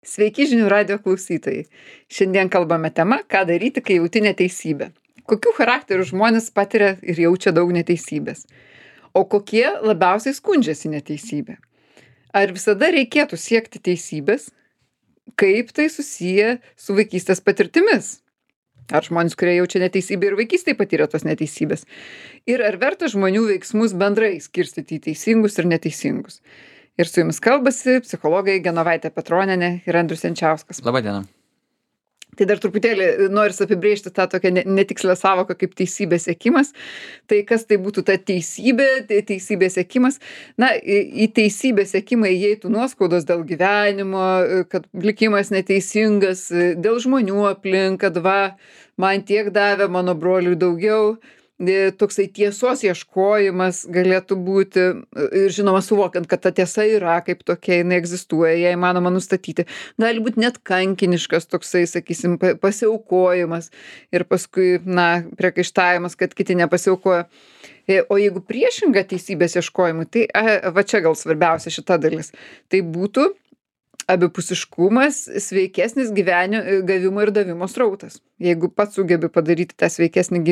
Sveiki žinių radio klausytojai. Šiandien kalbame tema, ką daryti, kai jauti neteisybę. Kokių charakterių žmonės patiria ir jaučia daug neteisybės. O kokie labiausiai skundžiasi neteisybė. Ar visada reikėtų siekti teisybės? Kaip tai susiję su vaikystės patirtimis? Ar žmonės, kurie jaučia neteisybę ir vaikystėje patyrė tos neteisybės? Ir ar verta žmonių veiksmus bendrai skirstyti į teisingus ir neteisingus? Ir su jumis kalbasi psichologai Genovaitė Petronienė ir Andrius Jančiauskas. Labą dieną. Tai dar truputėlį noris apibrėžti tą tokią netikslę savoką kaip teisybės siekimas. Tai kas tai būtų ta teisybė, teisybės siekimas? Na, į teisybės siekimą įeitų nuoskaudos dėl gyvenimo, kad likimas neteisingas, dėl žmonių aplink, kad va, man tiek davė, mano broliui daugiau. Toksai tiesos ieškojimas galėtų būti ir žinoma suvokiant, kad ta tiesa yra kaip tokia, jinai egzistuoja, ją įmanoma nustatyti. Gali būti net kankiniškas toksai, sakysim, pasiaukojimas ir paskui, priekaištavimas, kad kiti nepasiaukoja. O jeigu priešinga teisybės ieškojimui, tai va čia gal svarbiausia šita dalis. Tai būtų abipusiškumas, sveikesnis gavimo ir davimo srautas. Jeigu pats sugebi padaryti tą sveikesnį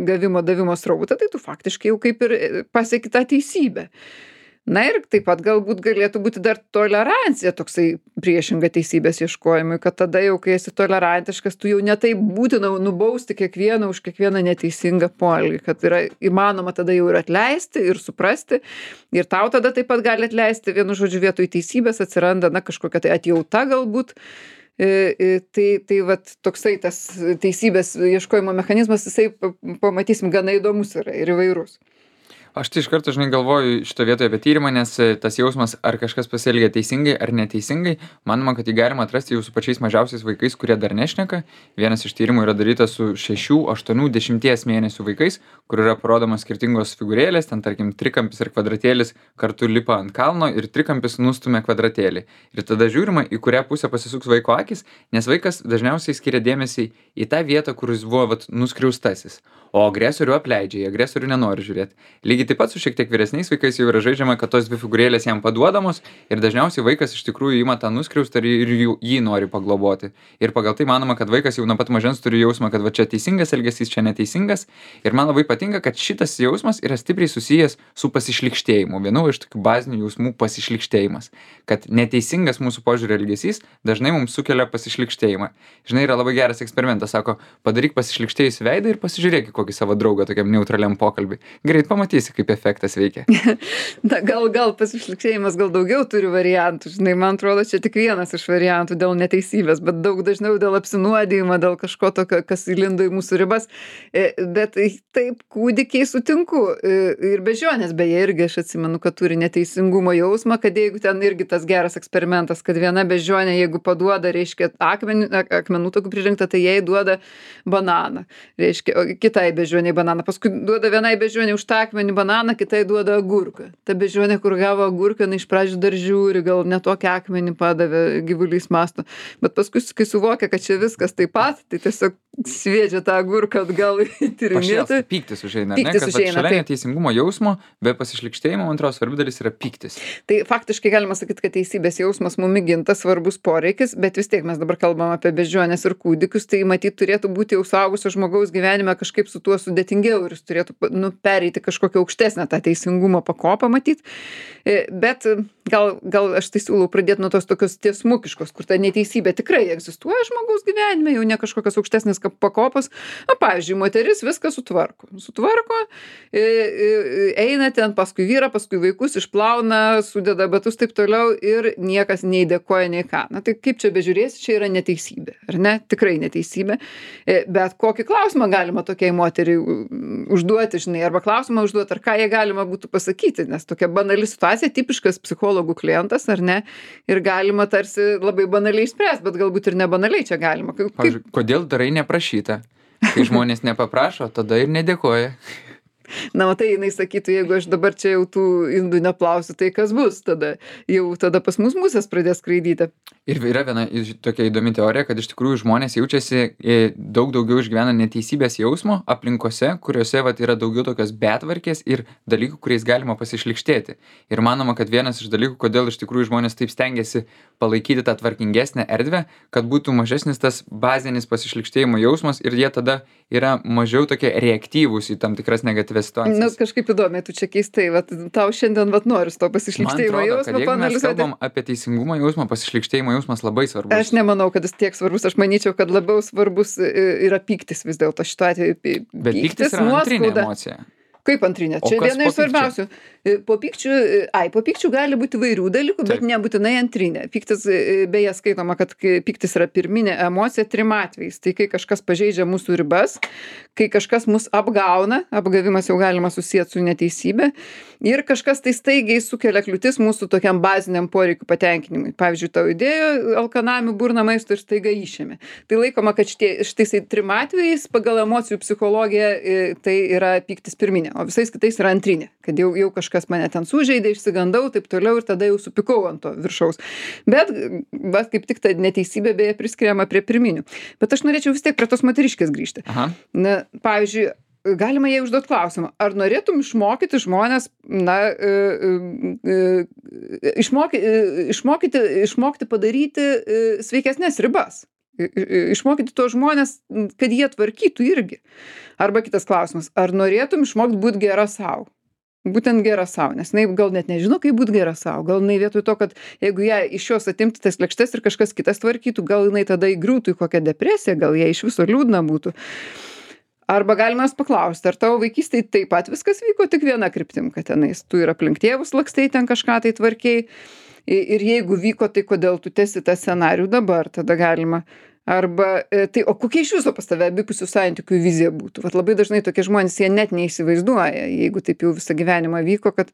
gavimo davimo srautą, tai tu faktiškai jau kaip ir pasieki tą teisybę. Na ir taip pat galbūt galėtų būti dar tolerancija toksai priešinga teisybės ieškojimui, kad tada jau, kai esi tolerantiškas, tu jau netaip būtina nubausti kiekvieną už kiekvieną neteisingą poelgį, kad yra įmanoma tada jau ir atleisti, ir suprasti, ir tau tada taip pat gali atleisti, vienu žodžiu vietoj teisybės atsiranda, kažkokia tai atjauta galbūt. Tai vat toksai tas teisybės ieškojimo mechanizmas, jisai pamatysim gana įdomus yra ir įvairus. Aš tai iš karto, galvoju šito vietoje apie tyrimą, nes tas jausmas, ar kažkas pasielgia teisingai ar neteisingai, manoma, kad jį galima atrasti jau su pačiais mažiausiais vaikais, kurie dar nešneka. Vienas iš tyrimų yra darytas su 6, 8, 10 mėnesių vaikais, kur yra parodomos skirtingos figūrėlės, ten tarkim trikampis ir kvadratėlis kartu lipa ant kalno ir trikampis nustumia kvadratėlį. Ir tada žiūrima, į kurią pusę pasisuks vaiko akis, nes vaikas dažniausiai skiria dėmesį į tą vietą, kur jis buvo nuskriaustasis. O agresorių apleidžia, į agresorių nenori žiūrėti. Lygiai taip pat su šiek tiek vyresniais vaikais jau yra žaidžiama, kad tos dvi figūrėlės jam paduodamos ir dažniausiai vaikas iš tikrųjų ima tą nuskriaustą ir jį nori pagloboti. Ir pagal tai manoma, kad vaikas jau nuo pat mažens turi jausmą, kad va čia teisingas elgesys, čia neteisingas. Ir man labai patinka, kad šitas jausmas yra stipriai susijęs su pasišlykštėjimu. Vienu iš tokių bazinių jausmų pasišlykštėjimas. Kad neteisingas mūsų požiūrio elgesys dažnai mums sukelia pasišlykštėjimą. Žinai, yra labai geras eksperimentas, sako, padaryk pasišlykštėjusį veidą ir pasižiūrėk kokį savo draugą tokiam neutraliam pokalbį. Greit pamatysi, kaip efektas veikia. Na, gal pasišlykštėjimas gal daugiau turi variantų. Žinai, man atrodo, čia tik vienas iš variantų dėl neteisybės, bet daug dažniau dėl apsinuodijimo, dėl kažko tokio, kas įlindo į mūsų ribas. Bet taip, kūdikiai sutinku. Ir bežionės, beje, irgi aš atsimenu, kad turi neteisingumo jausmą, kad jeigu ten irgi tas geras eksperimentas, kad viena bežionė, jeigu paduoda, reiškia, akmenų tokių pririnkta, tai jai duoda bananą. Reiškia, kitai bežionei bananą. Paskui duoda vienai bežionei už tą akmenį bananą, kitai duoda agurką. Ta bežionė, kur gavo agurką, iš pradžių dar žiūri, gal ne tokį akmenį padavė, gyvulys masto. Bet paskui, kai suvokia, kad čia viskas taip pat, tai tiesiog sviedžia tą agurką atgal į tyrinėti. Pyktis užeina, ne? Kad šalia neteisingumo jausmo, be pasišlykštėjimo, man atrodo, svarbi dalis yra pyktis. Tai faktiškai galima sakyti, kad teisybės jausmas mum įgintas svarbus poreikis, bet vis tiek mes dabar kalbam apie bežionės ir kūdikius, tai matyt turėtų būti jau suaugusio žmogaus gyvenime kažkaip su tuo sudėtingiau ir jis turėtų pereiti kažkokią aukštesnę tą teisingumo pakopą matyt. Bet gal aš tai siūlau pradėti nuo tos tokios tiesmukiškos, kur ta neteisybė tikrai egzistuoja žmogaus gyvenime, jau ne kažkokios aukštesnės pakopos. Pavyzdžiui, moteris viską sutvarko, eina ten paskui vyrą, paskui vaikus, išplauna, sudeda batus taip toliau ir niekas nei dėkoja, nei ką. Na tai kaip čia bežiūrėsi, čia yra neteisybė, ar ne? Tikrai neteisybė. Bet kokį klausimą galima tokiai moteriai užduoti, žinai, arba klausimą užduoti, ar ką jie galima būtų pasakyti, nes tokia banali situacija, tipiškas psichologų klientas, ar ne, ir galima tarsi labai banaliai išspręsti, bet galbūt ir nebanaliai čia galima. Pavyzdžiui, kodėl darai neprašyta? Kai žmonės nepaprašo, tada ir nedėkoja. Na, matai, jinai sakytų, jeigu aš dabar čia jau tų indų neplausiu, tai kas bus tada? Jau tada pas mus musės pradės skraidyti. Ir yra viena tokia įdomi teorija, kad iš tikrųjų žmonės jaučiasi daug daugiau išgyvena neteisybės jausmo aplinkose, kuriuose vat, yra daugiau tokios betvarkės ir dalykų, kuriais galima pasišlikštėti. Ir manoma, kad vienas iš dalykų, kodėl iš tikrųjų žmonės taip stengiasi palaikyti tą tvarkingesnę erdvę, kad būtų mažesnis tas bazinis pasišlikštėjimo jausmas ir jie tada yra mažiau tokie reaktyvūs į tam tikras negatyvias situacijas. Na, kažkaip įdomiai, tu čia keistai, vat, tau šiandien vat, noris to pasišlikštėjimo jausmo paanalizuoti. Jeigu mes kalbam apie teisingumo jausmą, pasišlikštėjimo jausmas labai svarbus. Aš nemanau, kad jis tiek svarbus, aš manyčiau, kad labiau svarbus yra pyktis vis dėlto šituo atveju. Bet pyktis yra antrinė emocija. Kaip antrinė? Čia viena iš svarbiausių. Po pykčių gali būti įvairių dalykų, bet nebūtinai antrinė. Pyktis, beje, skaitoma, kad pyktis yra pirminė emocija 3 atvejais. Tai kai kažkas pažeidžia mūsų ribas, kai kažkas mus apgauna, apgavimas jau galima susijęti su neteisybė, ir kažkas tai staigiai sukelia kliūtis mūsų tokiam baziniam poreikių patenkinimui. Pavyzdžiui, tau įdėjo alkanamių burną maisto ir staiga išėmė. Tai laikoma, kad šitais 3 atvejais pagal emocijų psichologiją tai yra pyktis pirminė, o visais kitais yra antrinė, kad jau kažkas mane ten sužeidė, išsigandau, taip toliau ir tada jau supykau ant to viršaus. Bet kaip tik ta neteisybė beje priskiriama prie pirminių. Bet aš norėčiau vis tiek prie tos moteriškės grįžti. Aha. Na, pavyzdžiui, galima jai užduoti klausimą, ar norėtum išmokyti žmonės, išmokti padaryti sveikesnės ribas. Išmokyti tuos žmonės, kad jie tvarkytų irgi. Arba kitas klausimas, ar norėtum išmokti būti gera savo? Būtent gera savo, nes jinai gal net nežino, kaip būti gera savo. Gal jinai vietoj to, kad jeigu ją iš jos atimti tas lėkštes ir kažkas kitas tvarkytų, gal jinai tada įgriūtų į kokią depresiją, gal jai iš viso liūdna būtų. Arba galima jos paklausti, ar tavo vaikystėje taip pat viskas vyko tik viena kryptim, kad tenais tu ir aplink tėvus lakstei ten kažką tai tvarkiai. Ir jeigu vyko, tai kodėl tu tęsi tą scenarijų dabar, tada galima. Arba, tai o kokia iš viso pas tave abipusių santykių vizija būtų? Vat labai dažnai tokie žmonės, jie net neįsivaizduoja, jeigu taip jau visą gyvenimą vyko, kad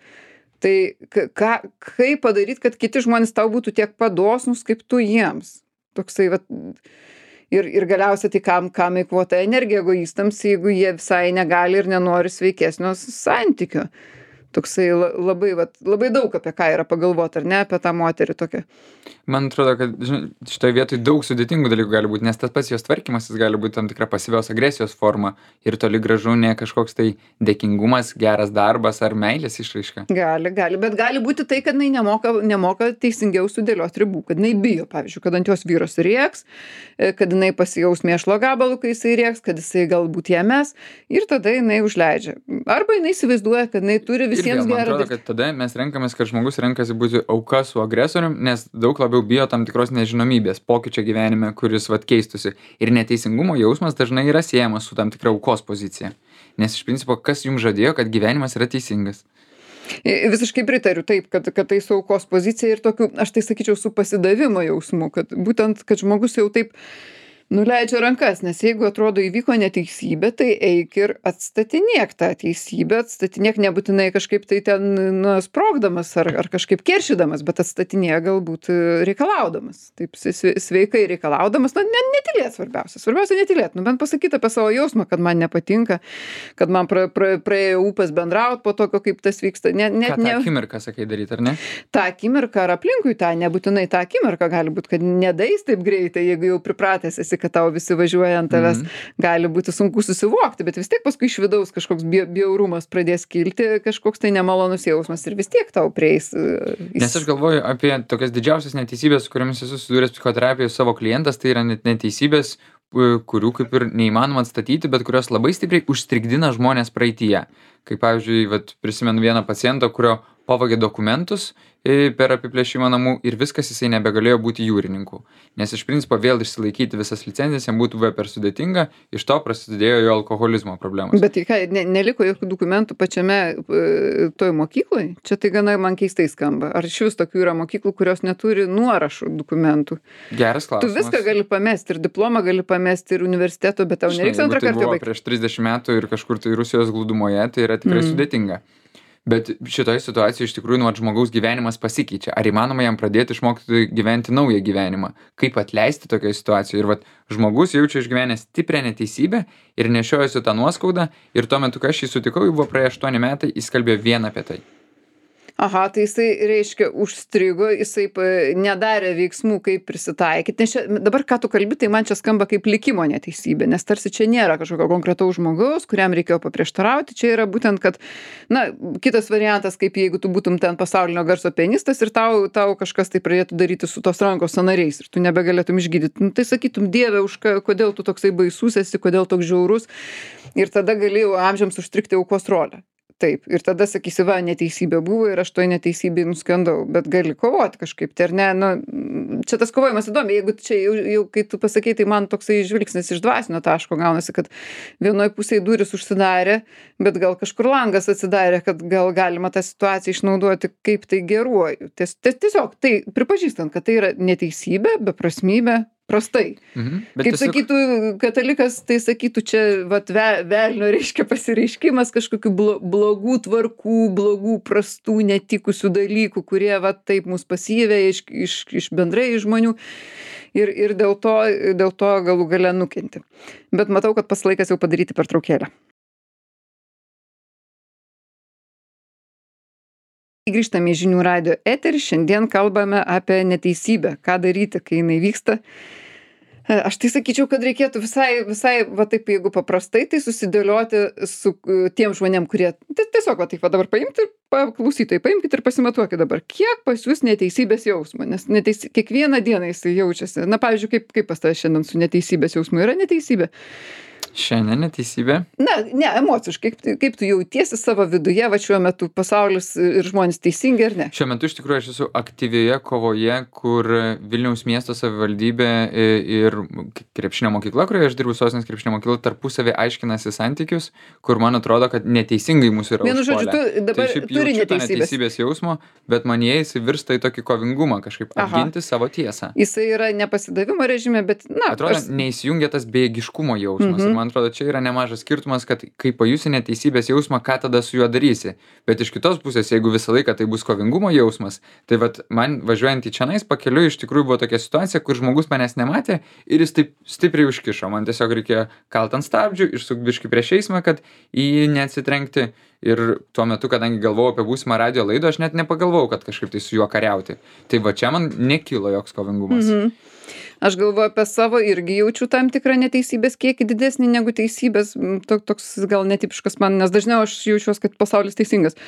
tai kaip padaryti, kad kiti žmonės tau būtų tiek padosnus, kaip tu jiems. Toksai, vat, ir galiausiai tai kam eikvota energija egoistams, jeigu jie visai negali ir nenori sveikesnio santykio. Toksai labai daug apie ką yra pagalvoti, ar ne, apie tą moterį tokią. Man atrodo, kad šitoje vietoje daug sudėtingų dalykų gali būti, nes tas pats jos tvarkymas gali būti tam tikra pasyvios agresijos forma ir toli gražu ne kažkoks tai dėkingumas, geras darbas ar meilės išraiška. Gali, bet gali būti tai, kad jinai nemoka teisingiau sudėlioti ribų, kad jinai bijo, pavyzdžiui, kad ant jos vyras rieks, kad jinai pasijaus mėšlo gabalų, kai jisai rieks, kad jisai galbūt ją mes ir tada jinai užleidžia. Arba jinai įsivaizduoja, kad jinai turi visiems man atrodo, kad tada mes renkamės, kad žmogus renkasi būti auka su agresorium, nes daug labiau bijo tam tikros nežinomybės, pokyčio gyvenime, kuris keistųsi. Ir neteisingumo jausmas dažnai yra siejamas su tam tikra aukos pozicija. Nes iš principo, kas jums žadėjo, kad gyvenimas yra teisingas? Visiškai pritariu taip, kad tai su aukos pozicija ir tokiu, aš tai sakyčiau, su pasidavimo jausmu, kad būtent, kad žmogus jau taip nuleidžia rankas, nes jeigu atrodo įvyko neteisybė, tai eik ir atstatinėk tą teisybę, atstatinėk nebūtinai kažkaip tai ten sprogdamas ar kažkaip keršydamas, bet atstatinėk galbūt reikalaudamas, taip sveikai reikalaudamas, netylėt svarbiausia netylėt, bent pasakyti apie savo jausmą, kad man nepatinka, kad man praėjo ūpas bendraut po tokio, kaip tas vyksta. Ką tą akimirką sakai daryti, ar ne? Ta akimirka ar aplinkui tą, nebūtinai tą akimirką gali būti, kad nedais taip greitai, jeigu jau pripratęs esi, kad tau visi važiuoja ant tavęs, gali būti sunku susivokti, bet vis tiek paskui iš vidaus kažkoks bjaurumas pradės kilti, kažkoks tai nemalonus jausmas ir vis tiek tau prieis. Nes aš galvoju apie tokias didžiausias neteisybės, su kuriamis esu susidūręs psichoterapijoje savo klientas, tai yra neteisybės, kurių kaip ir neįmanoma atstatyti, bet kurios labai stipriai užstrigdina žmonės praeityje. Kaip pavyzdžiui, prisimenu vieną pacientą, kurio pavogė dokumentus per apiplėšimą namų ir viskas, jisai nebegalėjo būti jūrininku. Nes iš principo vėl išsilaikyti visas licencijas jam būtų per sudėtinga, iš to prasidėjo jo alkoholizmo problemos. Bet ką, neliko jokių dokumentų pačiame toj mokykloj? Čia tai gana man keistai skamba. Ar iš vis tokių yra mokyklų, kurios neturi nuorašų dokumentų? Geras klausimas. Tu viską gali pamesti, ir diplomą gali pamesti, ir universiteto, bet tau nereiks antrą kartą baigti. Prieš 30 metų ir kažkur tai Rusijos glūdumoje, tai yra tikrai sudėtinga. Bet šitoje situacijoje iš tikrųjų nu, vat, žmogaus gyvenimas pasikeičia. Ar įmanoma jam pradėti išmokti gyventi naują gyvenimą? Kaip atleisti tokioje situacijoje? Ir vat, žmogus jaučia išgyvenęs stiprią neteisybę ir nešiojasi tą nuoskaudą. Ir tuo metu, kai aš jį sutikau, jau buvo praėję 8 metai, jis kalbėjo vien apie tai. Aha, tai jisai, reiškia, užstrigo, jisai nedarė veiksmų, kaip prisitaikyti. Nes čia, dabar, ką tu kalbi, tai man čia skamba kaip likimo neteisybė, nes tarsi čia nėra kažkokio konkretaus žmogaus, kuriam reikėjo paprieštarauti. Čia yra būtent, kad, na, kitas variantas, kaip jeigu tu būtum ten pasaulinio garso pianistas ir tau kažkas tai pradėtų daryti su tos rankos sąnariais ir tu nebegalėtum išgydyti. Nu, tai sakytum, Dieve, kodėl tu toksai baisus esi, kodėl toks žiaurus. Ir tada galėjau amžiams užstrikti aukos rolę. Taip, ir tada sakysi, va, neteisybė buvo ir aš toj neteisybėj nuskendau, bet gali kovoti kažkaip, tai ar ne, nu, čia tas kovojimas įdomi, jeigu čia jau kai tu pasakei, tai man toksai žvilgsnis iš dvasinio taško gaunasi, kad vienoj pusėje durys užsidarė, bet gal kažkur langas atsidarė, kad gal galima tą situaciją išnaudoti kaip tai geruoju. Tiesiog tai pripažįstant, kad tai yra neteisybė, beprasmybė, prastai. Kaip sakytų katalikas, tai sakytų čia vat, velnio reiškia pasireiškimas kažkokių blogų tvarkų, blogų, prastų, netikusių dalykų, kurie vat, taip mus pasyvė iš bendrai žmonių ir dėl to galų gale nukenti. Bet matau, kad pas laikas jau padaryti pertraukėlę. Grįžtame į žinių radijo eterį, šiandien kalbame apie neteisybę, ką daryti, kai jinai vyksta. Aš tai sakyčiau, kad reikėtų visai, va taip, jeigu paprastai, tai susidėlioti su tiem žmonėm, kurie tiesiog, va taip, va dabar paimti ir klausytojai, paimkite ir pasimatuokit dabar, kiek pas jūs neteisybės jausmo, nes kiekvieną dieną jisai jaučiasi. Na, pavyzdžiui, kaip pas tave šiandien su neteisybės jausmu yra neteisybė? Šiandien neteisybė? Na, ne, emociškai, kaip tu jautiesi savo viduje, va šiuo metu pasaulis ir žmonės teisingi ar ne? Šiuo metu iš tikrųjų aš esu aktyvioje kovoje, kur Vilniaus miesto savivaldybė ir krepšinio mokykla, kurioje aš dirbu, Sostinės krepšinio mokykla, tarpusavį aiškinasi santykius, kur man atrodo, kad neteisingai mūsų yra užpuolę. Vienu žodžiu, tu dabar tai turi neteisybės jausmo, bet manyje jis virsta į tokį kovingumą, kažkaip apginti savo tiesą. Jisai yra nepasidavimo režime, bet, na, atrodo, neįsijungia tas bejėgiškumo jausmas. Ir man atrodo, čia yra nemažas skirtumas, kad kai pajusi neteisybės jausmą, ką tada su juo darysi. Bet iš kitos pusės, jeigu visą laiką tai bus kovingumo jausmas, tai vat man važiuojant į čionais pakeliui iš tikrųjų buvo tokia situacija, kur žmogus manęs nematė ir jis taip stipriai užkišo. Man tiesiog reikėjo kalt ant stabdžių, išsukt biškį prieš eismą, kad į jį neatsitrenkti. Ir tuo metu, kadangi galvojau apie būsimą radijo laidą, aš net nepagalvojau, kad kažkaip tai su juo kariauti. Tai va čia man nekilo joks kovingumas. Aš galvoju apie savo, irgi jaučiu tam tikrą neteisybės kiekį didesnį negu teisybės, toks gal netipiškas man, nes dažniau aš jaučiuos, kad pasaulis teisingas.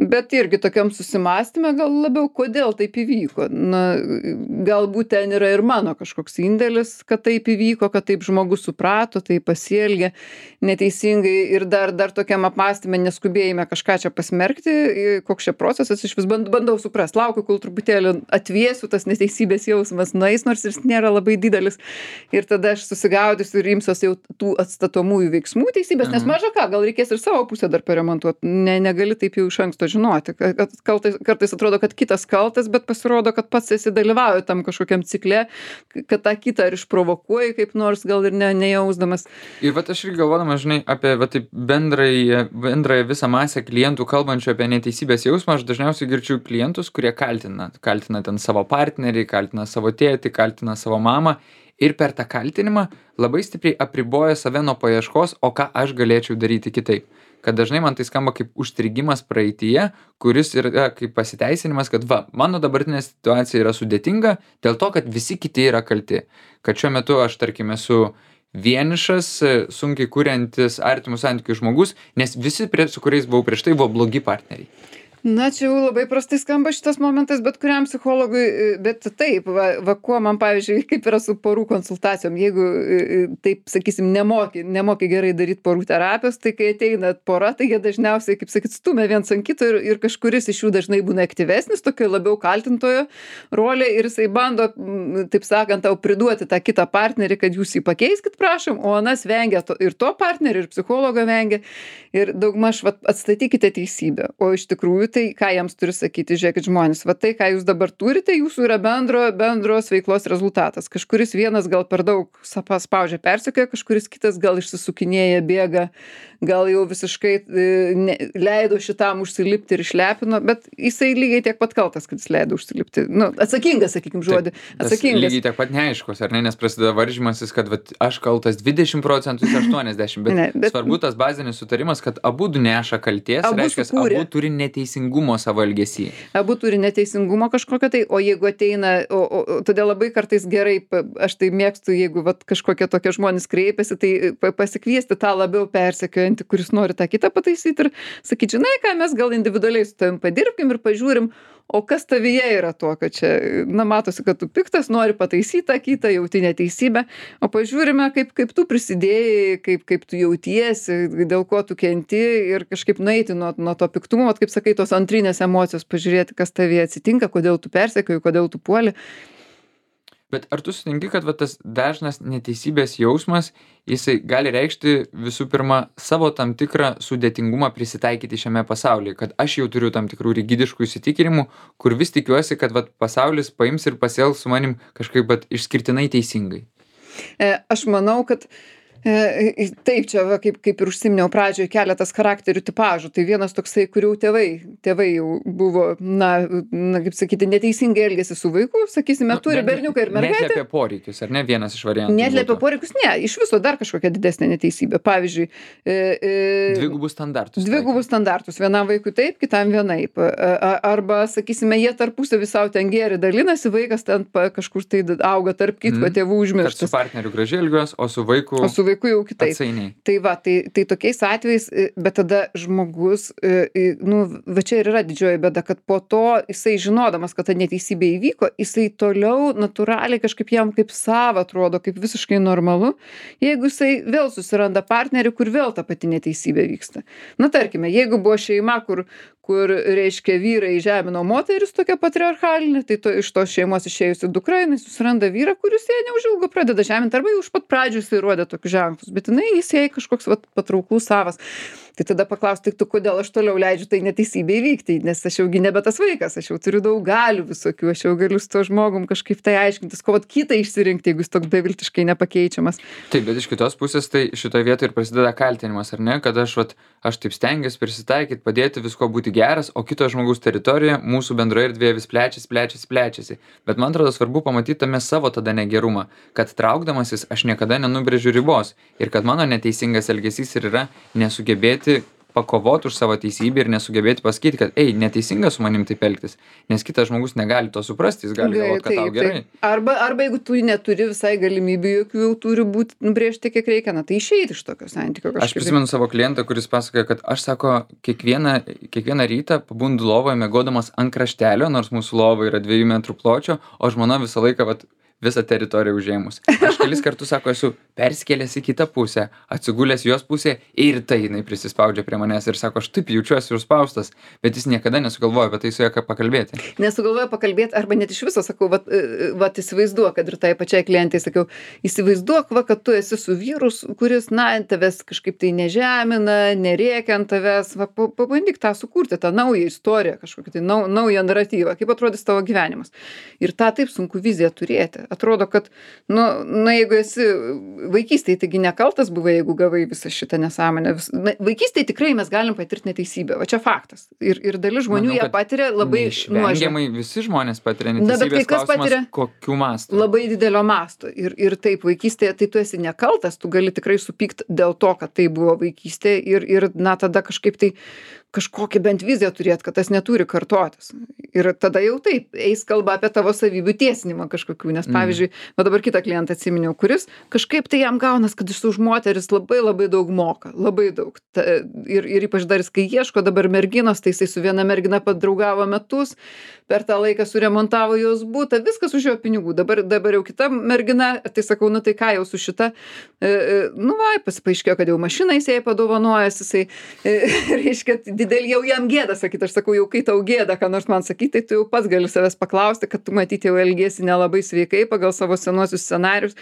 Bet irgi tokiam susimąstymė gal labiau, kodėl taip įvyko. Na, galbūt ten yra ir mano kažkoks indėlis, kad taip įvyko, kad taip žmogus suprato, taip pasielgė neteisingai ir dar tokiam apmąstymė neskubėjime kažką čia pasmerkti, koks čia procesas, iš vis bandau suprast, laukiu, kol truputėlį atvėsiu, tas neteisybės jausmas nueis, nors jis nėra labai didelis ir tada aš susigaudysiu ir imsiuos jau tų atstatomųjų veiksmų teisybės, nes maža ką, gal reikės ir savo pusę dar paremontuoti, negali taip jau iš anksto žinoti, kad kartais atrodo, kad kitas kaltas, bet pasirodo, kad pats esi dalyvauja tam kažkokiam cikle, kad tą kitą ar išprovokuoji kaip nors, gal ir nejausdamas. Ir vat aš irgi galvodamas, žinai, apie va, taip bendrąją visą masę klientų kalbančių apie neteisybės jausmą, aš dažniausiai girdžiu klientus, kurie kaltina ten savo partnerį, kaltina savo tėtį, kaltina savo mamą ir per tą kaltinimą labai stipriai apriboja save nuo paieškos, o ką aš galėčiau daryti kitaip. Kad dažnai man tai skamba kaip užstrigimas praeityje, kuris yra kaip pasiteisinimas, kad va, mano dabartinė situacija yra sudėtinga dėl to, kad visi kiti yra kalti. Kad šiuo metu aš, tarkime, esu vienišas, sunkiai kuriantis artimus santykius žmogus, nes visi, su kuriais buvau prieš tai, buvo blogi partneriai. Na, čia jau labai prastai skamba šitas momentas, bet kuriam psichologui, bet taip, va kuo man, pavyzdžiui, kaip yra su porų konsultacijom, jeigu, taip, sakysim, nemoki gerai daryti porų terapijos, tai kai ateina pora, tai jie dažniausiai, kaip sakyt, stumia viens ant kito ir kažkuris iš jų dažnai būna aktyvesnis, tokio labiau kaltintojo rolė ir jisai bando, taip sakant, tau priduoti tą kitą partnerį, kad jūs jį pakeiskit, prašom, o anas vengia ir to partnerį, ir psichologo vengia, ir daugmaž atstatykite teisybę, o iš tikrųjų tai ką jiems turi sakyti, žiūrėkit žmonės, va tai, ką jūs dabar turite, jūsų yra bendros veiklos rezultatas. Kažkuris vienas gal per daug spaudžia persekioja, kažkuris kitas gal išsisukinėja, bėga, gal jau visiškai leido šitam užsilipti ir išlepino, bet jisai lygiai tiek pat kaltas, kad jis leido užsilipti. Nu, atsakingas, sakykim, žodį. Atsakingas. Lygiai tiek pat neaiškus, ar ne, nes prasideda varžymasis, kad vat, aš kaltas 20%, jis 80%, bet svarbu tas bazinis sutarimas, kad abu neša kalties, reiškia, abu turi neteisingumo savo elgesį. Abu turi neteisingumo kažkokio tai, o jeigu ateina, todėl labai kartais gerai, aš tai mėgstu, jeigu vat, kažkokie tokie žmonės kreipiasi, tai pasikviesti tą labiau persekiojantį, kuris nori tą kitą pataisyti ir sakyti, žinai ką, mes gal individualiai su tavim padirbkim ir pažiūrim, o kas tavyje yra to, kad čia, na, matosi, kad tu piktas, nori pataisyti tą kitą, jauti neteisybę, o pažiūrime, kaip tu prisidėjai, kaip tu jautiesi, dėl ko tu kenti ir kažkaip nueiti nuo to piktumo, kaip sakai, tos antrinės emocijos, pažiūrėti, kas tavyje atsitinka, kodėl tu persekioji, kodėl tu puoli. Bet ar tu sutinki, kad va, tas dažnas neteisybės jausmas, jisai gali reikšti visų pirma savo tam tikrą sudėtingumą prisitaikyti šiame pasaulyje, kad aš jau turiu tam tikrų rigidiškų įsitikinimų, kur vis tikiuosi, kad va, pasaulis paims ir pasielgs su manim kažkaip va, išskirtinai teisingai? Aš manau, kad taip, čia va, kaip ir užsiminiau pradžioje, keletas charakterių tipažų. Tai vienas toksai, kurių tėvai jau buvo, kaip sakyti, neteisingai elgėsi su vaiku, sakysime, turi berniuką ir mergaitę. Neatliepia poreikius, ar ne, vienas iš variantų? Neatliepia poreikius, ne, iš viso dar kažkokia didesnė neteisybė. Pavyzdžiui, dvigubus standartus. Dvigubus standartus. Vienam vaikui taip, kitam vienaip. Arba, sakysime, jie tarpusavį savo ten gėrį dalinasi, vaikas ten kažkur tai auga tarp kitko, tėvų užmirštas. Su partneriu gražiai elgiuos, o su vaiku jau kitaip. Atsainiai. Tai va, tai tokiais atvejais, bet tada žmogus, va čia ir yra didžioji bėda, kad po to jisai žinodamas, kad ta neteisybė įvyko, jisai toliau natūraliai kažkaip jam kaip sava atrodo, kaip visiškai normalu, jeigu jisai vėl susiranda partnerį, kur vėl ta pati neteisybė vyksta. Na, tarkime, jeigu buvo šeima, kur reiškia vyrai žemino moteris tokia patriarchalinė, tai iš tos šeimos išėjusi dukra, jinai susiranda vyrą, kuris jai neužilgo pradeda žeminti, arba jau iš pat pradžių jisai rodė tokius ženklus, bet jis jai kažkoks patrauklus savas. Tai tada paklausti, tu kodėl aš toliau leidžiu tai neteisybė įvykti, nes aš jaugi nebe tas vaikas, aš jau turiu daug galių visokių, aš jau galiu su to žmogum kažkaip tai aiškintis, ko kitą išsirinkti, jeigu jis toks beviltiškai nepakeičiamas. Taip, bet iš kitos pusės tai šitoje vietoje ir prasideda kaltinimas, ar ne, kad aš taip stengiuosi prisitaikyti, padėti visko būti geras, o kito žmogaus teritorija mūsų bendroje erdvėje vis plečiasi. Bet man atrodo svarbu pamatyti tame savo tada negerumą, kad traukdamasis aš niekada nenubrėžiu ribos ir kad mano neteisingas elgesys ir yra nesugebėti pakovoti už savo teisybę ir nesugebėti pasakyti, kad neteisinga su manim taip elgtis, nes kitas žmogus negali to suprasti, jis gali galvoti, kad tau gerai. Arba jeigu tu neturi visai galimybių, jokių jau turi būti nubrėžti, kiek reikia, tai išeiti iš tokio santykio kažkaip. Aš prisimenu savo klientą, kuris pasakoja, kad aš, sako, kiekvieną rytą pabundu lovoje miegodamas ant kraštelio, nors mūsų lova yra 2 metrų pločio, o žmona visą laiką visą teritoriją užėmus. Aš kelis kartus, sako, esu persikėlęs į kitą pusę, atsigulęs jos pusę ir tai jinai prisispaudžia prie manęs ir sako, aš taip jaučiuosi užspaustas, bet jis niekada nesugalvoja apie tai su ja pakalbėti. Nesugalvoja pakalbėti, arba net iš viso sakau, įsivaizduok, kad ir tai pačiai klientai sakiau, įsivaizduok, kad tu esi su vyrus, kuris, tavęs kažkaip tai nežemina, nerėkia ant tavęs, pabandyk tą sukurti, tą naują istoriją, kažkokį tai naują naratyvą, kaip atrodys tavo gyvenimas. Ir tą taip sunku viziją turėti. Atrodo, kad, jeigu esi vaikystėje, taigi nekaltas buvai, jeigu gavai visą šitą nesąmonę. Vaikystėje tikrai mes galim patirti neteisybę, va čia faktas. Ir dalis žmonių ją patiria labai nuožmiai. Visi žmonės patiria neteisybės, klausimas, kokiu mastu. Labai didelio masto. Ir taip, vaikystėje tai tu esi nekaltas, tu gali tikrai supykti dėl to, kad tai buvo vaikystė ir tada kažkaip tai kažkokią bent viziją turėt, kad tas neturi kartotis. Ir tada jau taip, eis kalba apie tavo savybių tiesinimą kažkokių, nes pavyzdžiui, dabar kitą klientą atsiminiau, kuris kažkaip tai jam gaunas, kad jis už moteris labai labai daug moka, labai daug. Ir ypač dar jis, kai ieško dabar merginos, tai jisai su viena mergina padraugavo metus, per tą laiką suremontavo jos butą, viskas už jo pinigų. Dabar jau kita mergina, tai sakau, tai ką jau su šita, paaiškėjo, kad jau mašiną jis jai padovanojęs, jisai, reiškia, didelį jau jam gėda sakyti, aš sakau, jau kai tau gėda, ką nors man sakyti, tai tu jau pats gali savęs paklausti, kad tu matyti jau elgiesi nelabai sveikai, pagal savo senuosius scenarius.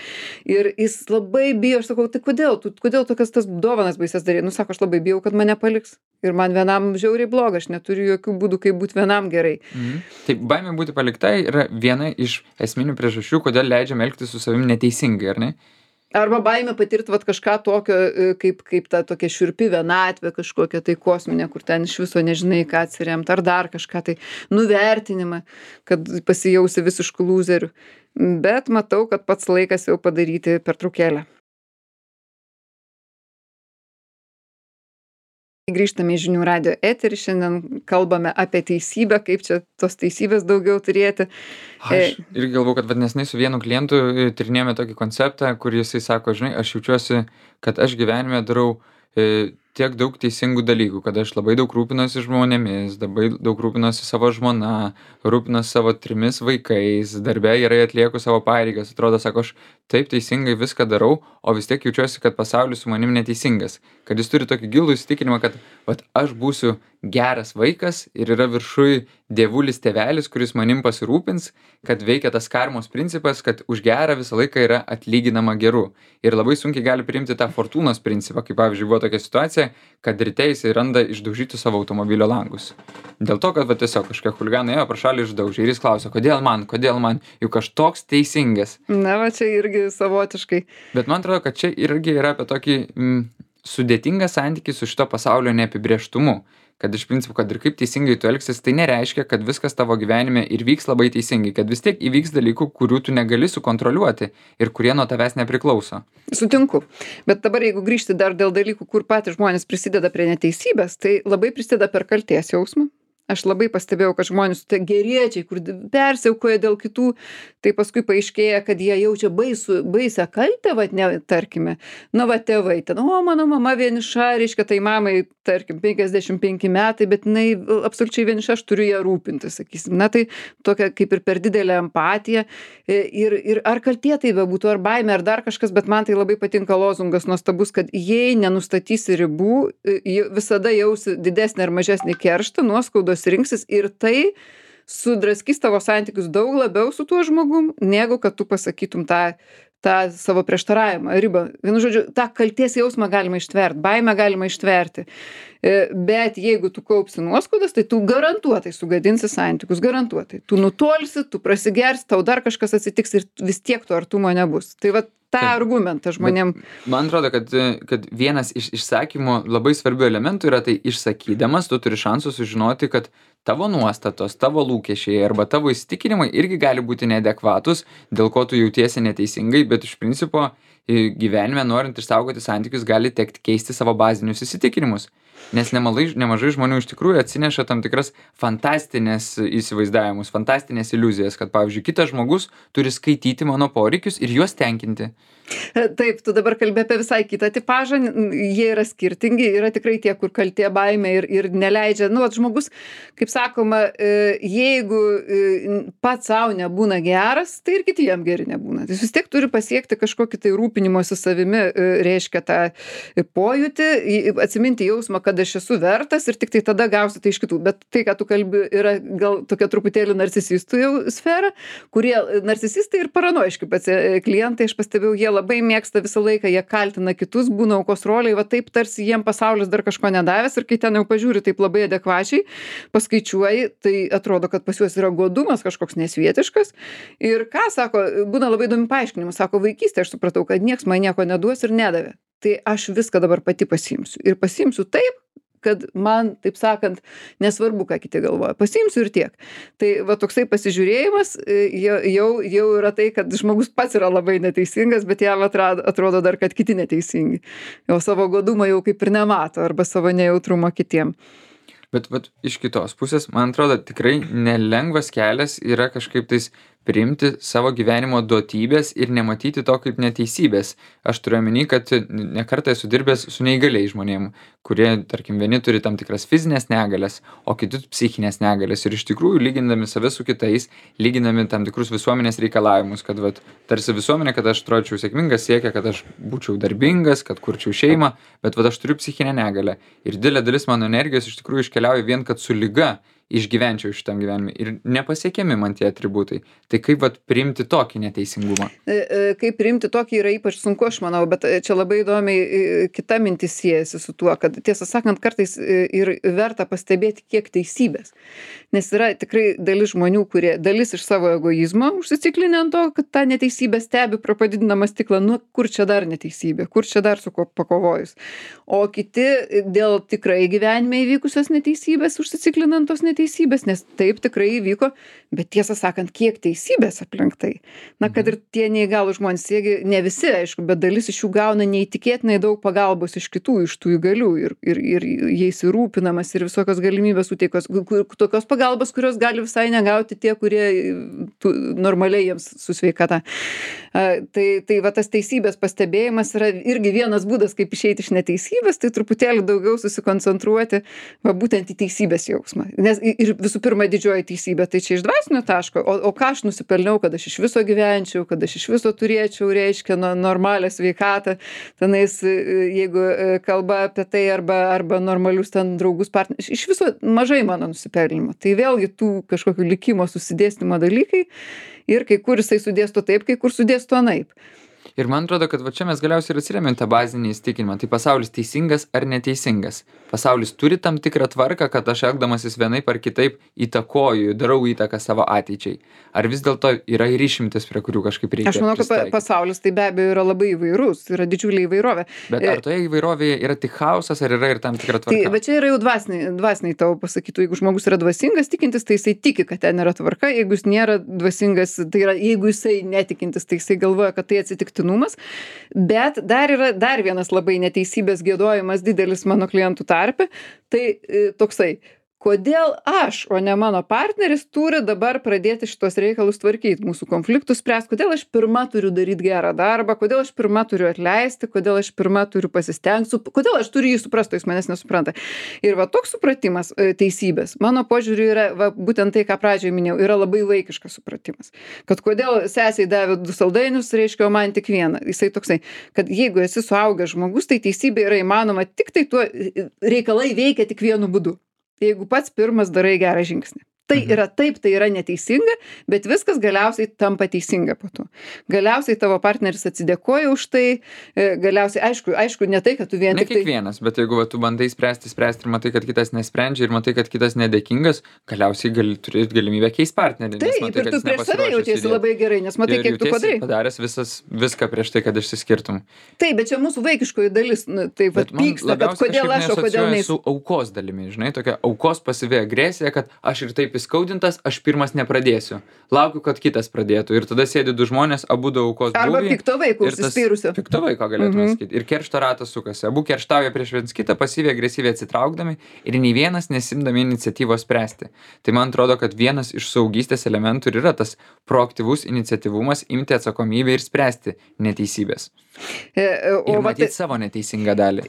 Ir jis labai bijo, aš sakau, tai kodėl tokias tas dovanas baises darai? Nu, sako, aš labai bijau, kad mane paliks. Ir man vienam žiauriai bloga, aš neturiu jokių būdų, kaip būti vienam gerai. Tai baimė būti paliktai yra viena iš esminių priežasčių, kodėl leidžiam elgtis su savim neteisingai, ar ne? Arba baimė patirti vat kažką tokio, kaip ta tokia šiurpi vienatvė, kažkokia tai kosminė, kur ten iš viso nežinai, ką atsiremt, ar dar kažką tai nuvertinimą, kad pasijausi visiškų lūzerių. Bet matau, kad pats laikas jau padaryti pertraukėlę. Grįžtame į Žinių radijo eterį, šiandien kalbame apie teisybę, kaip čia tos teisybės daugiau turėti. Aš irgi galvoju, kad vadnesnai su vienu klientu tyrinėjome tokį konceptą, kur jisai sako, žinai, aš jaučiuosi, kad aš gyvenime darau tiek daug teisingų dalykų, kad aš labai daug rūpinuosi žmonėmis, labai daug rūpinuosi savo žmona, rūpinuosi savo 3 vaikais, darbe gerai atlieku savo pareigas, atrodo, sako, aš taip teisingai viską darau, o vis tiek jaučiuosi, kad pasaulis su manim neteisingas, kad jis turi tokį gilų įsitikinimą, kad vat, aš būsiu geras vaikas ir yra viršui dievulis tėvelis, kuris manim pasirūpins, kad veikia tas karmos principas, kad už gerą visą laiką yra atlyginama geru. Ir labai sunkiai gali priimti tą fortūnos principą, kaip pavyzdžiui buvo tokia situacija, kad ryte jisai randa išdaužyti savo automobilio langus. Dėl to, kad va, tiesiog kažkokie chuliganai ėjo pro šalį išdaužė ir jis klausia, kodėl man, juk aš toks teisingas. Na, va čia irgi savotiškai. Bet man atrodo, kad čia irgi yra apie tokį sudėtingą santykį su šito pasaulio neapibrėžtumu. Kad iš principo, kad ir kaip teisingai tu elgsis, tai nereiškia, kad viskas tavo gyvenime ir vyks labai teisingai, kad vis tiek įvyks dalykų, kurių tu negali sukontroliuoti ir kurie nuo tavęs nepriklauso. Sutinku. Bet dabar jeigu grįžti dar dėl dalykų, kur patys žmonės prisideda prie neteisybės, tai labai prisideda per kaltės jausmą. Aš labai pastebėjau, kad žmonės tie geriečiai, kur persiaukoja dėl kitų, tai paskui paaiškėja, kad jie jaučia baisę kaltę, vat, ne, tarkime, nu, va, tėvai, ten, o, mano mama vieniša, reiškia, tai mamai, tarkim, 55 metai, bet jinai absoliučiai vieniša, aš turiu ją rūpinti, sakysim. Na, tai tokia kaip ir per didelė empatija. Ir ar kaltė tai bebūtų, ar baimė, ar dar kažkas, bet man tai labai patinka lozungas nuostabus, kad jei nenustatysi ribų, visada jausi didesnį ar mažesnį kerštą, nuoskaudos rinksis ir tai sudraskys tavo santykius daug labiau su tuo žmogum, negu kad tu pasakytum tą savo prieštaravimą, ribą. Vienu žodžiu, tą kaltės jausmą galima ištverti, baimę galima ištverti. Bet jeigu tu kaupsi nuoskaudas, tai tu garantuotai sugadinsi santykius, garantuotai. Tu nutolsi, tu prasigersi, tau dar kažkas atsitiks ir vis tiek to artumo nebus. Tai va tą argumentą žmonėm. Man atrodo, kad vienas iš išsakymų labai svarbių elementų yra tai išsakydamas, tu turi šansų sužinoti, kad tavo nuostatos, tavo lūkesčiai arba tavo įsitikinimai irgi gali būti neadekvatus, dėl ko tu jautiesi neteisingai, bet iš principo gyvenime norint išsaugoti santykius gali tekti keisti savo bazinius įsitikinimus. Nes nemažai žmonių iš tikrųjų atsineša tam tikras fantastinės įsivaizdavimus, fantastinės iliuzijas, kad, pavyzdžiui, kitas žmogus turi skaityti mano poreikius ir juos tenkinti. Taip, tu dabar kalbė apie visai kitą tipažą, jie yra skirtingi, yra tikrai tie, kur kaltė baimė ir neleidžia, nu, žmogus, kaip sakoma, jeigu pats savo nebūna geras, tai ir kiti jam geri nebūna. Jis vis tiek turi pasiekti kažkokį tai rūpinimosi savimi, reiškia tą pojūtį, atsiminti jausmą, kad aš esu vertas ir tik tai tada gausi tai iš kitų. Bet tai, ką tu kalbi, yra gal tokia truputėlį narcisistų jau sfera, kurie narcisistai ir paranoiški klientai, aš pastebėjau, jie labai mėgsta visą laiką, jie kaltina kitus, būna aukos roliai, va taip tarsi jiem pasaulis dar kažko nedavęs ir kai ten jau pažiūri taip labai adekvačiai, paskaičiuoji, tai atrodo, kad pas juos yra godumas kažkoks nesvietiškas. Ir ką sako, būna labai įdomi paaiškinimų, sako, vaikystėje aš supratau, kad nieks man nieko neduos ir nedavė. Tai aš viską dabar pati pasiimsiu. Ir pasiimsiu taip, kad man, taip sakant, nesvarbu, ką kiti galvoja. Pasiimsiu ir tiek. Tai va toksai pasižiūrėjimas jau yra tai, kad žmogus pats yra labai neteisingas, bet jam atrodo dar, kad kiti neteisingi. Jau savo godumą jau kaip ir nemato arba savo nejautrumą kitiem. Bet iš kitos pusės, man atrodo, tikrai nelengvas kelias yra kažkaip tais priimti savo gyvenimo duotybės ir nematyti to kaip neteisybės. Aš turiu omeny, kad ne kartą esu dirbęs su neįgaliais žmonėm, kurie, tarkim, vieni turi tam tikras fizinės negalias, o kiti psichinės negalias. Ir iš tikrųjų, lygindami save su kitais, lygindami tam tikrus visuomenės reikalavimus, kad tarsi visuomenė, kad aš atrodyčiau sėkmingas, siekia, kad aš būčiau darbingas, kad kurčiau šeimą, bet aš turiu psichinę negalę. Ir didelė dalis mano energijos iš tikrųjų iškeliauja vien, kad su liga išgyvenčiau šitam gyvenime ir nepasiekiami man tie atributai. Tai kaip vat priimti tokį neteisingumą? Kaip priimti tokį yra ypač sunku, aš manau, bet čia labai įdomiai kita mintis siejasi su tuo, kad tiesą sakant, kartais ir verta pastebėti, kiek teisybės. Nes yra tikrai dalis žmonių, kurie dalis iš savo egoizmo užsiciklinę ant to, kad tą neteisybę stebi pro padidinamą stiklą, nu kur čia dar neteisybė, kur čia dar su kuo pakovojus. O kiti dėl tikrai gyvenime įvykusios neteisybės užsiciklinant tos neteisybės, nes taip tikrai įvyko, bet tiesą sakant, kiek teisybės aplink tai. Na, kad ir tie neįgalūs žmonės, ne visi, aišku, bet dalis iš jų gauna neįtikėtinai daug pagalbos iš kitų, iš tų įgalių ir jais rūpinamas ir visokios galimybės suteikos, tokios pagalbos, kurios gali visai negauti tie, kurie normaliai jiems su sveikata. Tai va tas teisybės pastebėjimas yra irgi vienas būdas, kaip išeiti iš neteisybės, tai truputėlį daugiau susikoncentruoti va būtent į teisybės jausmą. Nes ir visų pirma didžioji teisybė, tai čia iš dvasinio taško, o ką aš nusipelniau, kad aš iš viso gyvenčiau, kad aš iš viso turėčiau, reiškia, normalią sveikatą, tenais, jeigu kalba apie tai arba normalius ten draugus partnerius, iš viso mažai mano nusipelnimo. Tai vėlgi tų kažkokių likimo susidėstymo dalykai ir kai kur jisai sudėsto taip, kai kur sudėsto anaip. Ir man atrodo, kad va čia mes galiausiai ir atsiremiam tą bazinį įsitikinimą. Tai pasaulis teisingas ar neteisingas? Pasaulis turi tam tikrą tvarką, kad aš elgdamasis vienaip ar kitaip įtakoju, darau įtaką savo ateičiai. Ar vis dėlto yra ir išimtis, prie kurių kažkaip reikia pristaikyt? Aš manau, kad pasaulis tai be abejo yra labai įvairus, yra didžiulė įvairovė. Bet ar toje įvairovėje yra tik chaosas, ar yra ir tam tikra tvarka? Tai, bet čia yra jau dvasiniai tavo pasakytų. Jeigu žmogus yra dvasingas, tikintis, tai jisai tiki, kad ten yra tvarka. Jeigu jis nėra dvasingas, tai yra, jeigu jisai netikintis, tai jisai galvoja, kad tai atsitiktinumas. Bet dar yra dar vienas labai neteisybės giedojimas didelis mano klientų tarpe, tai toksai, kodėl aš, o ne mano partneris, turi dabar pradėti šitos reikalus tvarkyti, mūsų konfliktus spręsti, kodėl aš pirma turiu daryti gerą darbą, kodėl aš pirma turiu atleisti, kodėl aš pirma turiu pasistengti, kodėl aš turiu jį suprasti, jis manęs nesupranta. Ir va toks supratimas teisybės, mano požiūriu yra va, būtent tai, ką pradžioje minėjau, yra labai vaikiškas supratimas. Kad kodėl sesiai davė 2 saldainius, reiškia, o man tik vieną. Jisai toksai, kad jeigu esi suaugęs žmogus, tai teisybė yra įmanoma tik tai tuo, reikalai veikia tik vienu būdu. Jeigu pats pirmas darai gerą žingsnį. Tai yra taip, tai yra neteisinga, bet viskas galiausiai tampa teisinga po to. Galiausiai tavo partneris atsidėkoja už tai, galiausiai, aišku, ne tai, kad tu vien tik tai... Ne kiekvienas, bet jeigu tu bandai spręsti ir matai, kad kitas nesprendžia ir matai, kad kitas nedėkingas, galiausiai gali turėti galimybę keisti partnerį. Taip, matai, ir tu prieš save jautiesi labai gerai, nes matai, kiek tu padarai. Padaręs viską prieš tai, kad išsiskirtum. Taip, bet čia mūsų vaikiškoji dalis, taip pat pyksta, kad kodėl aš, o kodėl ne. Su aukos dalimi, žinai, tokia aukos pasyvi agresija, kad aš ir taip įskaudintas, aš pirmas nepradėsiu. Laukiu, kad kitas pradėtų. Ir tada sėdi 2 žmonės, abu aukos būvį. Arba pikto vaiko užsispyrusio. Pikto vaiko galėtume sakyti. Ir keršto ratas sukasi. Abu kerštauja prieš viens kitą, pasyviai agresyviai atsitraukdami ir nei vienas nesimdami iniciatyvos spręsti. Tai man atrodo, kad vienas iš saugystės elementų ir yra tas proaktyvus iniciatyvumas imti atsakomybę ir spręsti neteisybės. Ir matyti savo neteisingą dalį.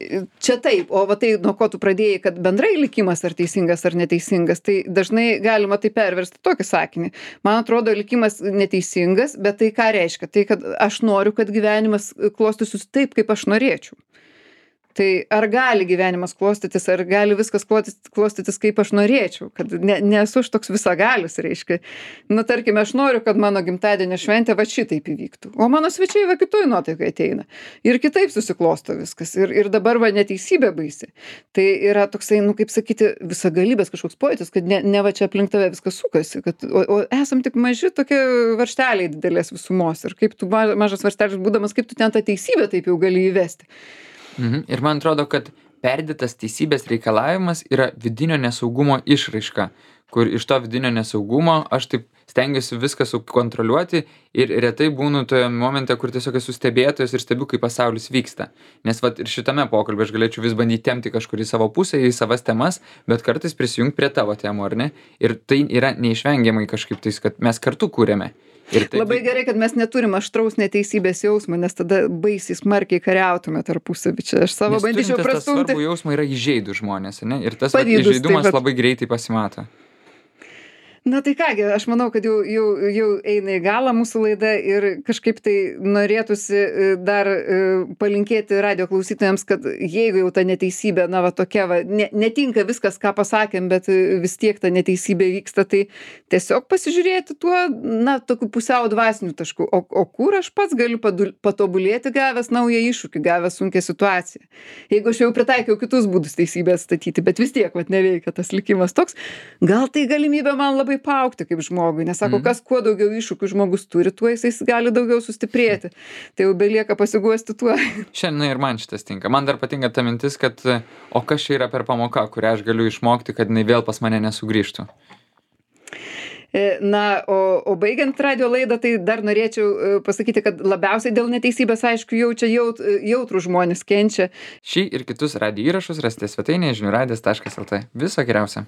Čia taip, o va tai, nuo ko tu pradėjai, kad bendrai likimas ar teisingas ar neteisingas, tai dažnai galima tai perversti tokį sakinį. Man atrodo, likimas neteisingas, bet tai ką reiškia? Tai, kad aš noriu, kad gyvenimas klostytųsi taip, kaip aš norėčiau. Tai ar gali gyvenimas klostytis, ar gali viskas klostytis, kaip aš norėčiau, kad nesu aš toks visagalis, reiškia. Na, tarkime, aš noriu, kad mano gimtadienio šventė va šitaip įvyktų, o mano svečiai va kitoj nuotaikai ateina. Ir kitaip susiklosto viskas. Ir dabar va neteisybė baisi. Tai yra toksai, nu, kaip sakyti, visagalybės kažkoks pojūtis, kad ne va čia aplink tave viskas sukasi, kad, o esam tik maži tokie varžteliai didelės visumos. Ir kaip tu mažas varžtelis būdamas, kaip tu ten tą teisybę taip jau gali įvesti. Ir man atrodo, kad perdėtas teisybės reikalavimas yra vidinio nesaugumo išraiška, kur iš to vidinio nesaugumo aš taip stengiuosi viską sukontroliuoti ir retai būnu toje momente, kur tiesiog esu stebėtojas ir stebiu, kaip pasaulis vyksta. Nes vat ir šitame pokalbė aš galėčiau vis bandyti tempti kažkur į savo pusę, į savas temas, bet kartais prisijungti prie tavo temų, ar ne? Ir tai yra neišvengiamai kažkaip tais, kad mes kartu kūrėme. Labai gerai, kad mes neturim aštraus neteisybės jausmo, nes tada baisiai smarkiai kariautume tarpusavy. Čia aš savo bandyčiau prastumti. Tas svarbų jausmą yra įžeidų žmonės, ne? Ir tas įžeidumas labai greitai pasimato. Na tai kągi, aš manau, kad jau eina į galą mūsų laida ir kažkaip tai norėtųsi dar palinkėti radijo klausytojams, kad jeigu jau ta neteisybė, na va tokia va, netinka viskas, ką pasakėm, bet vis tiek ta neteisybė vyksta, tai tiesiog pasižiūrėti tuo, na, tokiu pusiau dvasiniu tašku, o kur aš pats galiu patobulėti gavęs naują iššūkį, gavęs sunkią situaciją. Jeigu aš jau pritaikiau kitus būdus teisybę atstatyti, bet vis tiek, vat, neveikia tas likimas toks, gal tai galimybė man labai paaugti kaip žmogui, nes sako, kas kuo daugiau iššūkių žmogus turi, tuo jisai gali daugiau sustiprėti. Tai jau belieka pasiguosti tuo. Šiandien ir man šitas tinka. Man dar patinka ta mintis, kad o kas čia yra per pamoka, kurią aš galiu išmokti, kad jinai vėl pas mane nesugrįžtų. Na, o baigiant radio laidą, tai dar norėčiau pasakyti, kad labiausiai dėl neteisybės, aišku, jaučia jautrų žmonės, kenčia. Šį ir kitus radijo įrašus rasite svetainėje žiniųradijas.lt. Viso geriausio.